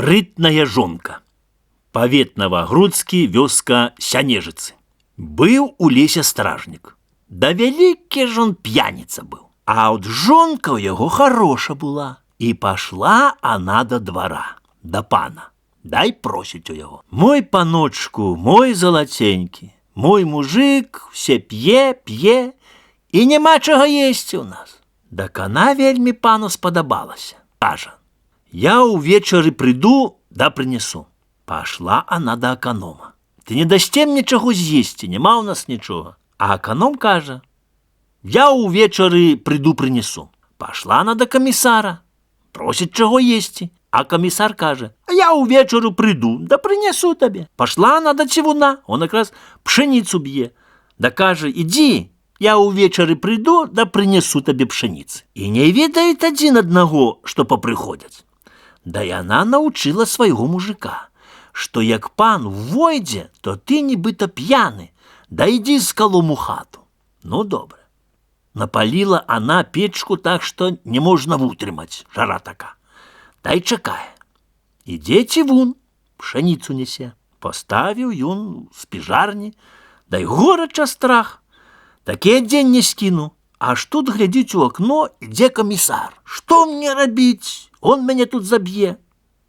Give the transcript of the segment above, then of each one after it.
Спрытная жонка. Павет Новагрудскі, вёска Сянежыцы. Быў у лесе стражнік. Да вялікі ж он п'яніца быў. А от жонка ў яго хороша была. І пашла она да двара, да пана. Дай просіць у яго: мой паночку, мой залаценькі, мой мужик все п'е, і няма чага есці ў нас. Дак она вельмі пану спадабалася. Кажа: я ўвечары прыйду да прынесу. Пашла она да аканома. Ты не дасце мне чаго з'есці, няма ў нас нічога. А аканом кажа: я ўвечары прыйду прынесу. Пашла она да камісара, просіць чаго есці. А камісар кажа: я ўвечары прыйду, да прынесу табе. Пашла она да цівуна, он якраз пшеніцу б'е. Да кажа: ідзі, я ўвечары прыйду, да прынесу табе пшеніцы. І не ведаюць адзін аднаго, што папрыходзяць. Да яна научыла свайго мужика, што як пан войдзе, то ты нібыта п'яны, да ідзі з калом у хату. Ну, добра. Напаліла она печку так, што не можна вытрымаць, жара така. Дай чакае. Ідзе цівун, пшаніцу нясе. Паставіў ён з піжарні, дай горача страх. Такі дзень не скіну. Аж тут глядзіць у акно, ідзе камісар. Што мне рабіць? Он мяне тут заб'е,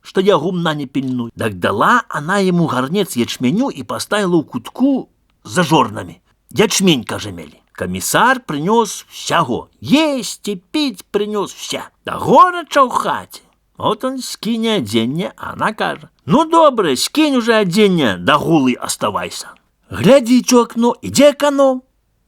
што я гумна не пільную. Так дала она яму гарнец ячменю і паставіла ў кутку за жорнамі. Ячмень, кажа, мелі. Камісар прынёс всяго. Есці, піць прынёс вся. Да горача ў хаце. От он скіне адзенне, а она кажа: ну, добра, скінь уже адзенне, да гулы аставайся. Глядзіць у акно, ідзе аканом.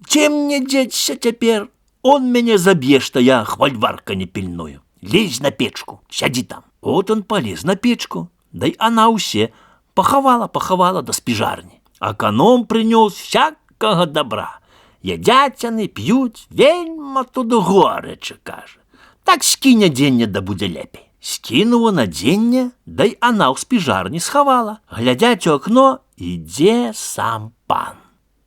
Ці мне дзеться цяпер? Он мяне заб'е, што я хвальварка не пільную. Лезь на печку, сядзі там. От он полез на печку, дай она ўсе пахавала да спіжарні. Аканом прынёс всякага добра. Ядзяць яны, п'юць, вельма тут горача, кажа. Так скінь адзенне, да будзе лепей. Скінула надзенне, дай она ў спіжарні схавала. Глядзяць у акно, ідзе сам пан.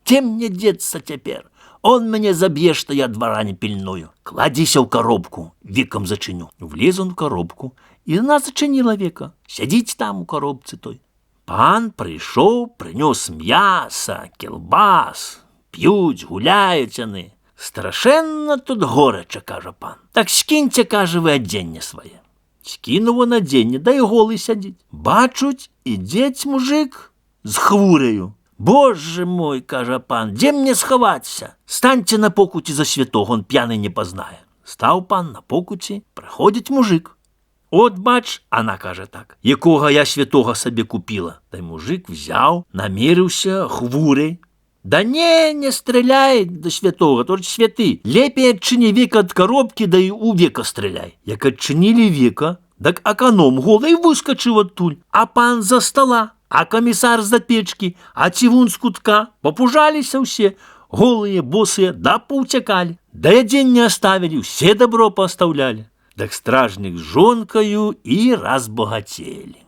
Ці мне дзецца цяпер? Он мяне заб'е, што я двара не пільную. Кладзіся ў коробку, векам зачыню. Влез он в коробку, і она зачыніла века. Сядзіць там у коробцы той. Пан прыйшоў, прынёс мяса, кілбас. П'юць, гуляюць яны. Страшэнна тут горача, кажа пан. Так скіньце, кажа, вы адзенне свае. Скінуў он адзенне, да і голы сядзіць. Бачуць, ідзець мужик з хвурею. Боже мой, кажа пан, дзе мне схавацца? Станьце на покуці за святого, он п'яны не пазнае. Стаў пан на покуці, прыходзіць мужик. От бач, она кажа так, якога я святого сабе купіла. Дай мужик взяў, намерыўся хвурей. Да не стреляй до святого, толькі святы. Лепей адчыні века ад коробкі, да і у века стреляй. Як адчынілі века, так аканом голай выскачыў адтуль, а пан за стола. А камісар з-за печкі, а цівун з кутка. Попужаліся ўсе, голыя, босыя, да паўцякалі. Да адзенне аставілі, усе добро паастаўлялі. Так стражнік з жонкаю і разбагацелі.